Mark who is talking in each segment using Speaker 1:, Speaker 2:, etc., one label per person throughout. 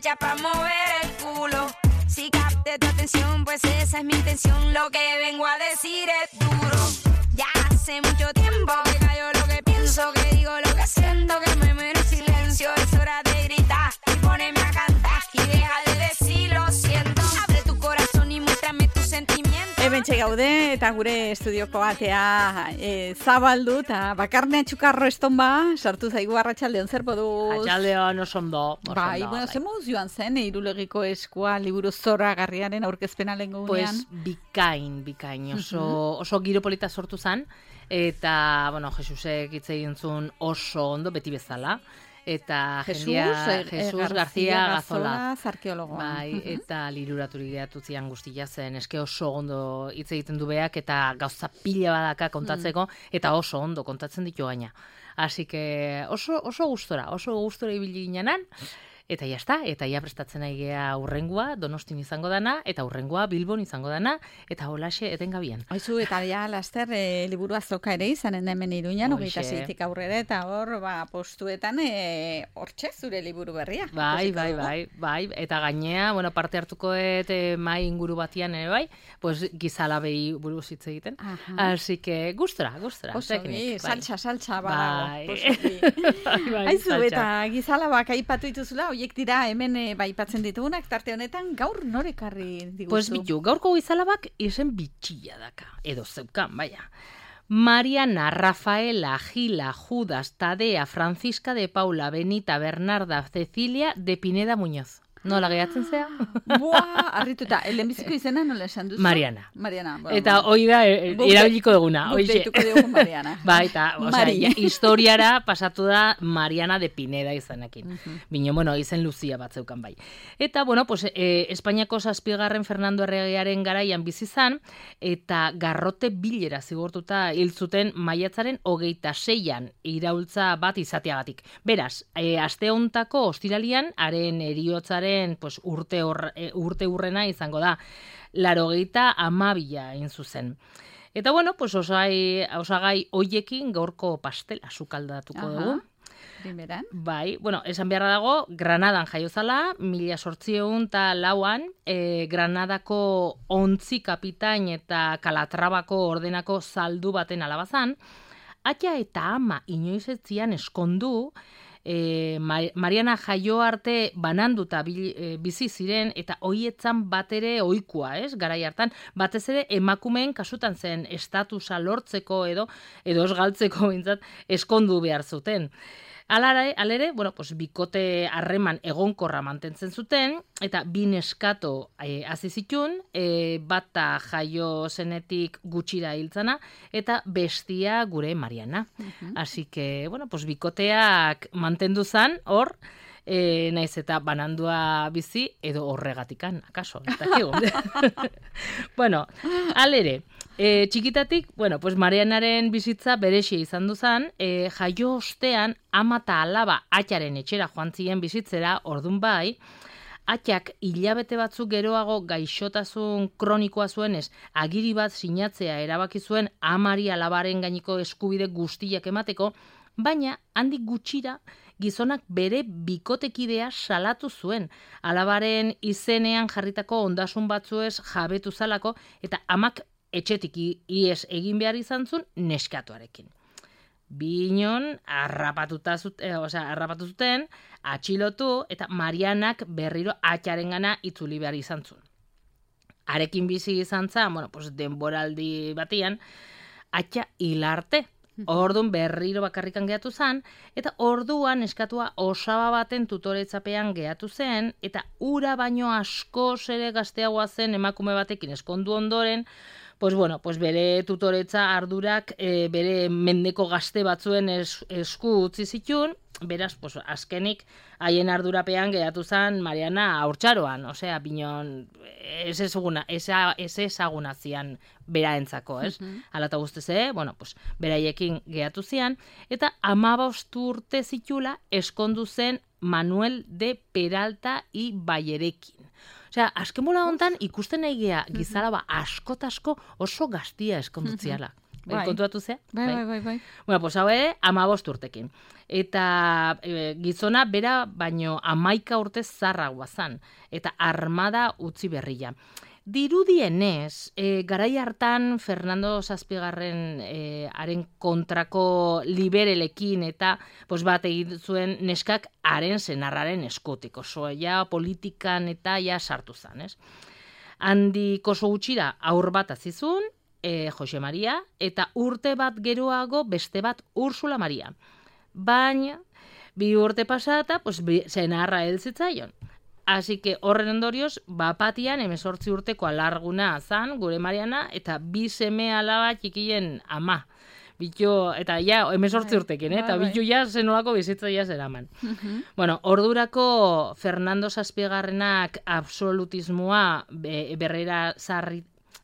Speaker 1: hecha para mover el culo. Si capté tu atención, pues esa es mi intención. Lo que vengo a decir es duro. Ya hace mucho tiempo que callo lo que pienso, que digo lo que siento, que me muero en silencio. Es hora de gritar y ponerme a cantar y deja de decir lo siento. Abre tu corazón y muéstrame tus sentimientos.
Speaker 2: Hementxe gaude eta gure estudioko atea zabaldu eta bakarne txukarro estonba sartu zaigu arratsaldeon zer moduz.
Speaker 3: Arratsaldeon oso ondo.
Speaker 2: Bai, bueno, zer moduz joan zen Irulegiko Eskua liburu zoragarriaren aurkezpena lehengo unean?
Speaker 3: Pues bikain, oso giro polita sortu zen, eta, bueno, Jesusek hitz egin zuen oso ondo, beti bezala. Eta Jesus García Gazola,
Speaker 2: arkeologoa.
Speaker 3: Bai, eta liruraturik geratu zian guztia zen, eske oso ondo hitz egiten du beak, eta gauza pila badaka kontatzeko, eta oso ondo kontatzen ditu gaina. Así que oso gustora ibili ginenan, eta jazta, eta ja prestatzen aigea urrengua, Donostin izango dana, eta urrengua Bilbon izango dana, eta holaxe etengabian.
Speaker 2: Aizu, eta ja laster liburu azoka ere izanen da hemen Iruñan, 26tik aurrera, eta hor, postuetan, hortxe zure liburu berria.
Speaker 3: Bai, eta gainea, bueno, parte hartukoet mai inguru batian ere bai, pues gizalabei buruz hitz egiten. Así que gustora.
Speaker 2: Osogi, saltza,
Speaker 3: bai.
Speaker 2: Aizu, eta gizalabak aipatu dituzula, hoiek dira hemen baipatzen ditugunak, tarte honetan gaur norekarri diguzu?
Speaker 3: Pues bitu, gaurko gizalabak izen bitxilla daka, edo zeukan, baina. Mariana, Rafaela, Gila, Judas, Tadea, Francisca de Paula, Benita, Bernarda, Cecilia, de Pineda Muñoz. Nola gehiatzen zea?
Speaker 2: Buah, arrituta, lehenbiziko izena nola esan duzu?
Speaker 3: Mariana.
Speaker 2: Bueno,
Speaker 3: eta hoi da, erabiliko duguna.
Speaker 2: Guk deituko dugu Mariana.
Speaker 3: Ba, eta, historiara pasatu da Mariana de Pineda izanekin. Bino, bueno, izen Lucia bat zeukan bai. Eta, bueno, pues, Espainiako 7. Fernando Erregearen garaian bizi zan, eta garrote bilera zigortuta hil zuten maiatzaren 26an iraultza bat izateagatik. Beraz, aste hontako ostiralian, haren heriotzaren pues, urte urrena izango da, 82 hain zuzen. Eta bueno, pues osagai hoiekin gaurko pastela sukaldatuko dugu.
Speaker 2: Primeran.
Speaker 3: Bai, bueno, esan beharra dago, Granadan jaiozala, 1804an, Granadako ontzi kapitain eta Kalatrabako ordenako zaldu baten alabazan, aita eta ama inoiz ez zian eskondu, Mariana jaio arte bananduta bizi ziren eta hoietzan bat ere ohikoa, garai hartan, batez ere emakumeen kasutan zen estatusa lortzeko edo ez galtzeko bintzat eskondu behar zuten. Alere, bueno, pues, bikote harreman egonkorra mantentzen zuten, eta bi neskato hasi zitun, bata jaio zenetik gutxira hiltzana, eta bestia gure Mariana. Así que, bueno, pues, bikoteak mantendu zan, hor, naiz eta banandua bizi, edo horregatikan, akaso, ez dakigu. Bueno, alere, txikitatik, bueno, pues Marianaren bizitza berexia izan duzan, jaio ostean ama eta alaba atxaren etxera joan ziren bizitzera, ordun bai, atxak hilabete batzuk geroago gaixotasun kronikoa zuenez, agiri bat sinatzea erabaki zuen amari alabaren gaineko eskubide guztiak emateko, baina handik gutxira gizonak bere bikotekidea salatu zuen, alabaren izenean jarritako ondasun batzuez jabetu zalako, eta amak etxetik ies egin behar izan zuen neskatuarekin. Binon harrapatu zuten, atxilotu, eta Marianak berriro atxarengana itzuli behar izan zuen. Arekin bizi izan zen, bueno, pues denboraldi batian, atxa hilarte. Orduan berriro bakarrikan gehatu zen, eta orduan eskatua osaba baten tutoretzapean gehatu zen, eta ura baino askoz ere gazteagoa zen emakume batekin eskondu ondoren, pues bueno, pues bere tutoretza ardurak bere mendeko gazte batzuen esku utzi zitun, beraz, pues, azkenik haien ardurapean geratu zen Mariana haurtzaroan, osea, binon, ez ezaguna zian beraentzako, ez? Hala eta guztez, bueno, pues, beraiekin geratu zian, eta 15 urte zitula eskondu zen Manuel de Peralta y Bayerekin. Osea, azken bola hontan ikusten nahi gea gizalaba asko oso gaztia eskondutziala. kontuatu zea?
Speaker 2: Bai.
Speaker 3: Bueno, pues hau ere, 15 urtekin. Eta gizona bera baino 11 urte zarragoa zan. Eta armada utzi berria. Dirudienez, garai hartan Fernando Zazpigarren haren kontrako liberelekin eta bat egin zuen neskak haren senarraren eskutik. Oso, politikan eta sartu zan, ez? Handik oso gutxira aur bat azizun, Jose Maria, eta urte bat geroago beste bat Ursula Maria. Baina, 2 urte pasata, senarra helzitzaion. Así que horren ondorioz, bapatian 18 urteko alarguna zan, gure Mariana, eta 2 seme alaba txikien ama. Bitu, eta 18 urtekin, eta bitu zenolako bizitza zeraman. Bueno, ordurako Fernando Zazpigarrenak absolutismoa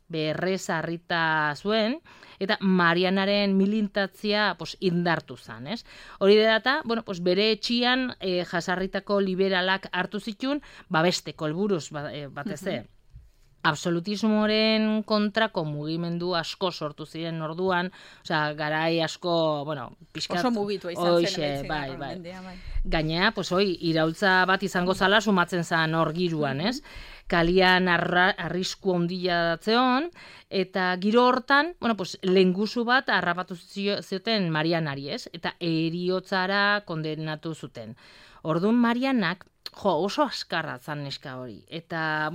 Speaker 3: berrezarrita zuen, eta Marianaren milintatzia indartu zan, ez? Hori dela eta, bere etxian jasarritako liberalak hartu zituen, babesteko helburuz batez absolutismoren kontrako mugimendu asko sortu ziren orduan, garai asko, pixkat...
Speaker 2: Oso mugitua izan zen.
Speaker 3: Bai. Gainea, iraultza bat izango zala sumatzen zan hor giruan, ez? Kalian arrisku ondila datzeon, eta giro hortan, lehengusu bat harrapatu zioten Marianari, ez? Eta eriotzara kondenatu zuten. Orduan Marianak, oso askarra zan neska hori. Eta,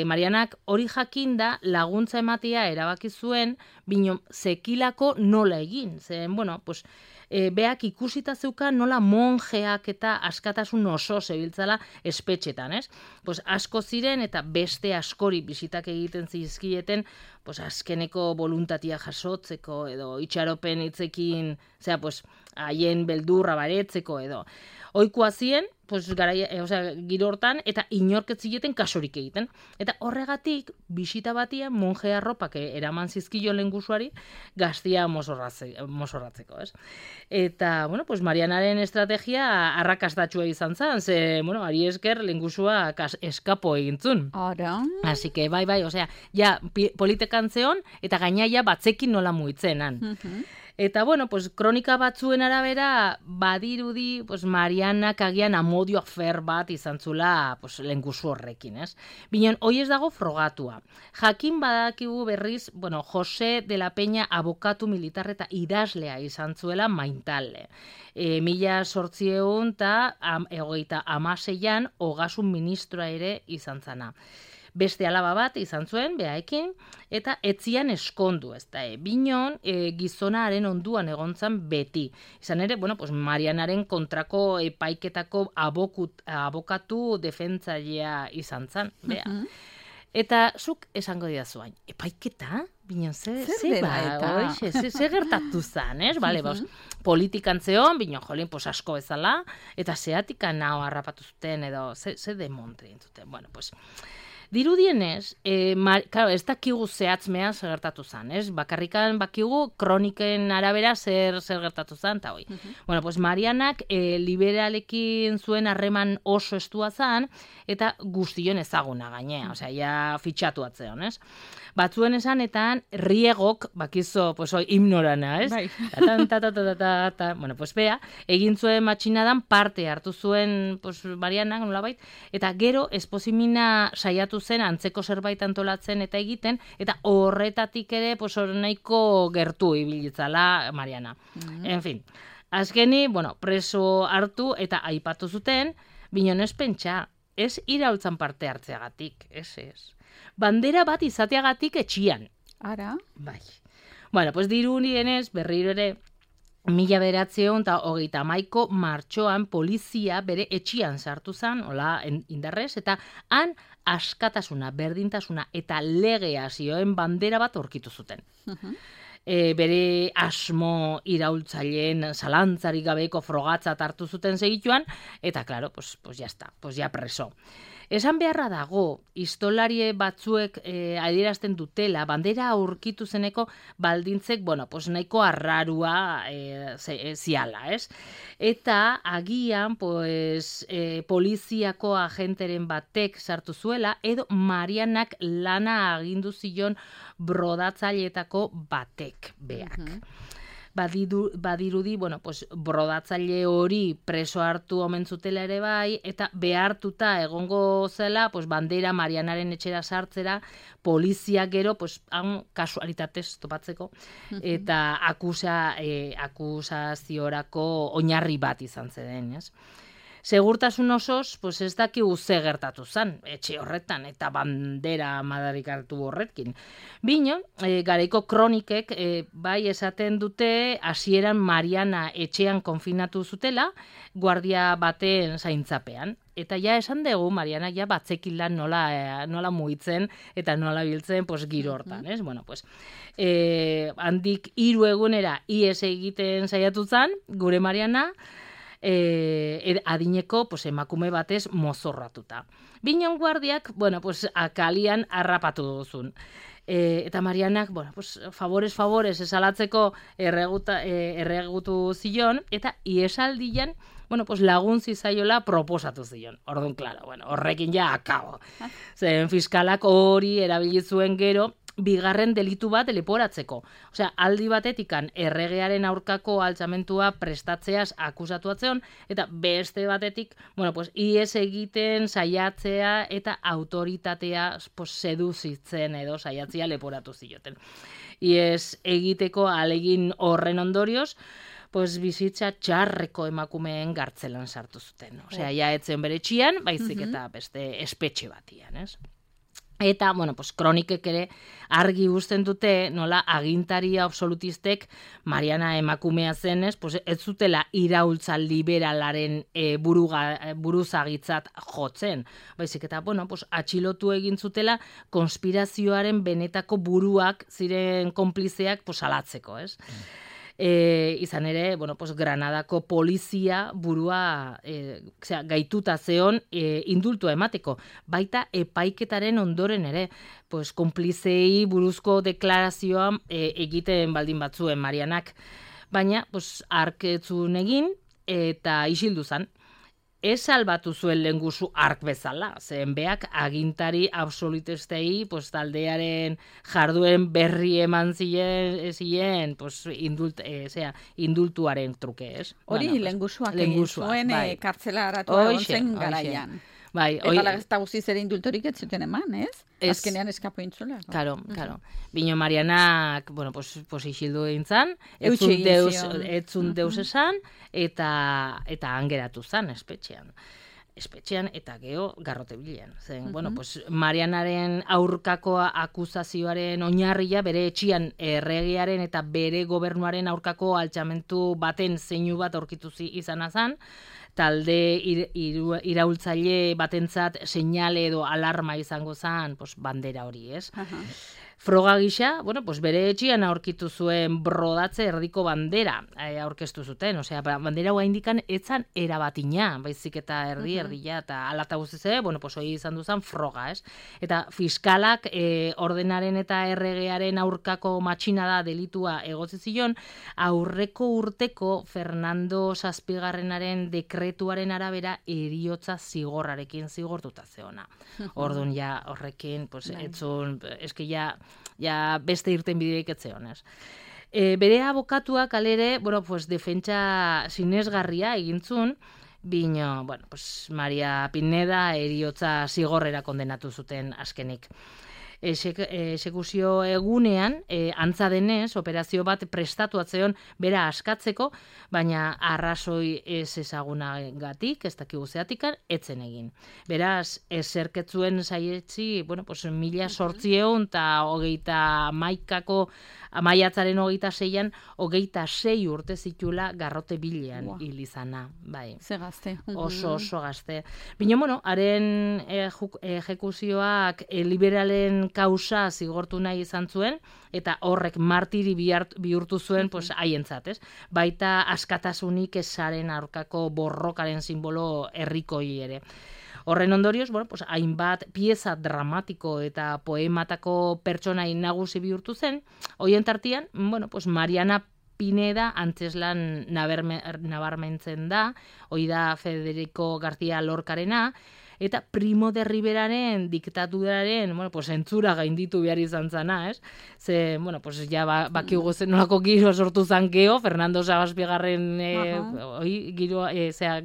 Speaker 3: Marianak hori jakinda laguntza ematea erabaki zuen, bino zekilako nola egin. Zen, beak ikusita zeukan nola monjeak eta askatasun oso zebiltzala espetxetan, ez? Asko ziren eta beste askori bisitak egiten zizkieten, azkeneko voluntatia jasotzeko edo itxaropen hitzekin, haien beldurra baretzeko edo. Ohikoa zien, giro hortan, eta inorketzileten kasurik egiten. Eta horregatik, bisita batia monje arropak eraman zizkio lehengusuari gaztia mozorratzeko, ez? Eta, Marianaren estrategia arrakastatxua izan zen, ze, ari esker lehengusua eskapo egintzun.
Speaker 2: Ara.
Speaker 3: Así que, bai, politekan zeon, eta gainaia batzekin nola muitzenan. Eta, kronika batzuen arabera, badirudi, Marianak agian amodio afer bat izan zula lehengusu horrekin, ez? Binon, hoi ez dago frogatua. Jakin badakigu berriz, Jose de la Peña abokatu militar eta idazlea izan zuela Maintalde. 1836an ogasun ministroa ere izan zana. Beste alaba bat izan zuen, behaekin, eta etzian eskondu, ez da, binon gizonaren onduan egontzan beti. Izan ere, Marianaren kontrako epaiketako abokatu defentzailea izan zan, beha. Eta zuk esango didazuain, epaiketa? Binon, ze gertatu zan, ez? Politikan zeon, binon, asko bezala, eta zeatikan naho harrapatu zuten, edo ze demontre zuten. Dirudienez, ez dakigu zehatzmean zer gertatu zan, ez? Bakarrikan bakigu kroniken arabera zer gertatu zan, eta hoi. Marianak liberalekin zuen harreman oso estua zan, eta guztion ezaguna gainea, fitxatu atzeon, ez? Batzuen esanetan, riegok, bakizo, himnorana, ez?
Speaker 2: Bai.
Speaker 3: Bea, egin zuen matxinadan parte hartu zuen Marianak, nolabait, eta gero esposimina saiatu zen antzeko zerbait antolatzen eta egiten, eta horretatik ere nahiko gertu ibilitzala Mariana. En fin, azkeni, preso hartu eta aipatu zuten, binon ez pentsa, ez iraultzan parte hartzeagatik, ez. Bandera bat izateagatik etxian.
Speaker 2: Ara?
Speaker 3: Bai. Dirudienez, berriro ere, 1931 martxoan polizia bere etxian sartu zen, hola indarrez, eta han askatasuna, berdintasuna eta legea zioen bandera bat aurkitu zuten. Bere asmo iraultzaileen zalantzarik gabeko frogatzat hartu zuten segituan, eta, klaro, ya preso. Esan beharra dago, histolarie batzuek adierazten dutela, bandera aurkitu zeneko baldintzek, pues nahiko arrarua ziala, ez? Eta agian, poliziako agenteren batek sartu zuela, edo Marianak lana agindu zion brodatzaileetako batek beak. Badirudi, brodatzaile hori preso hartu omen zutela ere bai, eta behartuta egongo zela, bandera Marianaren etxera sartzera, polizia gero, kasualitatez topatzeko, eta akusaziorako oinarri bat izan zen, ez? Segurtasun osoz, ez dakigu ze gertatu zen, etxe horretan, eta bandera madarikatu horrekin. Bino, garaiko kronikek bai esaten dute hasieran Mariana etxean konfinatu zutela, guardia baten zaintzapean. Eta ja esan dugu, Mariana ja batzekilan nola mugitzen eta nola biltzen giro hortan, ez? Handik 3 egunera ihes egiten saiatu zen, gure Mariana, adineko emakume batez mozorratuta. Binon guardiak, akalian harrapatu duzun. Eta Marianak, favorez esalatzeko erregutu zion, eta iesaldian, lagun zizaiola proposatu zion. Orduan, klaro, horrekin ja akabo. Zen fiskalak hori erabili zuen gero, bigarren delitu bat leporatzeko. Osea, aldi batetikan erregearen aurkako altxamentua prestatzeaz akusatu atzeon, eta beste batetik, ihes egiten saiatzea eta autoritatea seduzitzen edo saiatzea leporatu zioten. Ihes egiteko alegin horren ondorioz, bizitza txarreko emakumeen gartzelan sartu zuten. Osea, ja etzen bere txian, baizik eta beste espetxe batian, ez? Eta, kronikek ere argi uzten dute, nola agintari absolutistek Mariana emakumea zenez, ez zutela iraultza liberalaren buruzagitzat jotzen. Baizik eta, atxilotu egin zutela konspirazioaren benetako buruak ziren konplizeak salatzeko, ez? Izan ere, Granadako polizia burua gaituta zeon indultua emateko. Baita epaiketaren ondoren ere, konplizei buruzko deklarazioa egiten baldin batzuen Marianak. Baina, arketzun egin eta isildu zan. Ez salbatu zuen lehenguzu ark bezala, zen beak agintari absolutistei taldearen jarduen berri eman ziren indultuaren truke, ez?
Speaker 2: Hori lehenguzuak egin zuen kartzelaratu egon zen garaian. Eta lagazta guziz ere indultorik ez zuten eman, ez? Azkenean eskapo intzula.
Speaker 3: Karo. Bino Marianak, isildu egin zan, etzun deus esan, eta angeratu zan espetxean eta geho garrote bilean. Marianaren aurkako akusazioaren oinarria bere etxian erregearen eta bere gobernuaren aurkako altxamentu baten zeinu bat aurkitu izana zan, talde iraultzaile batentzat seinale edo alarma izango zen bandera hori, ez? Froga gisa, bere etxian aurkitu zuen brodatze erdiko bandera aurkeztu zuten, osea, bandera hua indikan etzan erabatina, baizik eta erdia, eta alata guztiz ere, hori izan duzan froga, ez? Eta fiskalak ordenaren eta erregearen aurkako matxinada delitua egotzi zion, aurreko urteko Fernando Zazpigarrenaren dekretuaren arabera heriotza zigorrarekin zigortuta zeona. Orduan ja horrekin, etzun, eski ja beste irten bideik etzeon, ez. Bere abokatuak alere, defentsa sinesgarria egintzun, bino, Maria Pineda heriotza zigorrera kondenatu zuten azkenik. Exekuzio egunean, antza denez, operazio bat prestatu atzeon bera askatzeko, baina arrazoi ez ezagunagatik, ez dakigu zeatikan, etzen egin. Beraz, eserketzuen saietzi, 1800 eta 28ko maiatzaren 26an, 26 urte zitula garrote bilean hil izana.
Speaker 2: Ze gazte.
Speaker 3: Oso gazte. Bino, haren ejekuzioak liberalen kausa zigortu nahi izan zuen, eta horrek martiri bihurtu zuen haientzat, ez? Baita askatasunik ezaren aurkako borrokaren simbolo herrikoi ere. Horren ondorioz, bueno, pues, hainbat pieza dramatiko eta poematako pertsonai nagusi bihurtu zen, hoien tartean, bueno, pues, Mariana Pineda antzeslan nabarmentzen da, hoi da Federico García Lorcarena, eta Primo de Riveraren diktaduraren, bueno, pues, entzura gainditu behar izan zana, ez? Ze, bueno, pues, ja bakigu zen nolako giro sortu zan geho, Fernando Sabaspigarren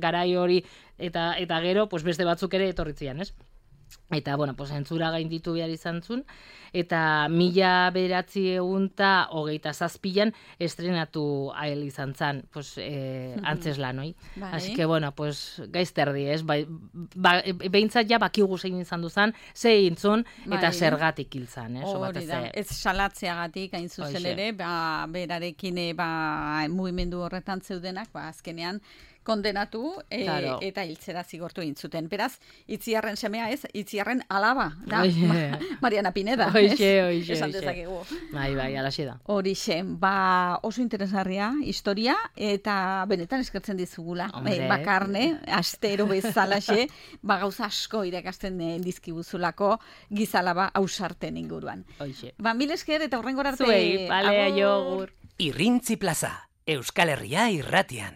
Speaker 3: garai hori, eta gero, pues, beste batzuk ere etorritzian, ez? Eta, bueno, pues, entzura gainditu behar izan zuen, eta 1927 estrenatu ahel izan zan, pues, antzeslan, oi? Así que, bueno, pues, gaizterdi, ez? Behintzat ja bakigu zein izan duzan, ze intzun, eta zergatik hiltzan, ez?
Speaker 2: Hori da, ez salatzeagatik hain zuzen ere, berarekin mugimendu horretan zeudenak, azkenean, kondenatu eta hiltzera zigortu egin zuten. Beraz, Itziarren semea ez, Itziarren alaba da, Mariana Pineda. Esan dezakegu.
Speaker 3: Bai, alaxe da.
Speaker 2: Horixe, oso interesgarria historia, eta benetan eskertzen dizugula. Bakarne, astero bezalaxe, gauza asko irakasten dizkibuzulako gizalaba ausarten inguruan. Mil esker eta hurrengora arte.
Speaker 3: Zuei, bale, aiogur.
Speaker 4: Irrintzi Plaza, Euskal Herria irratian.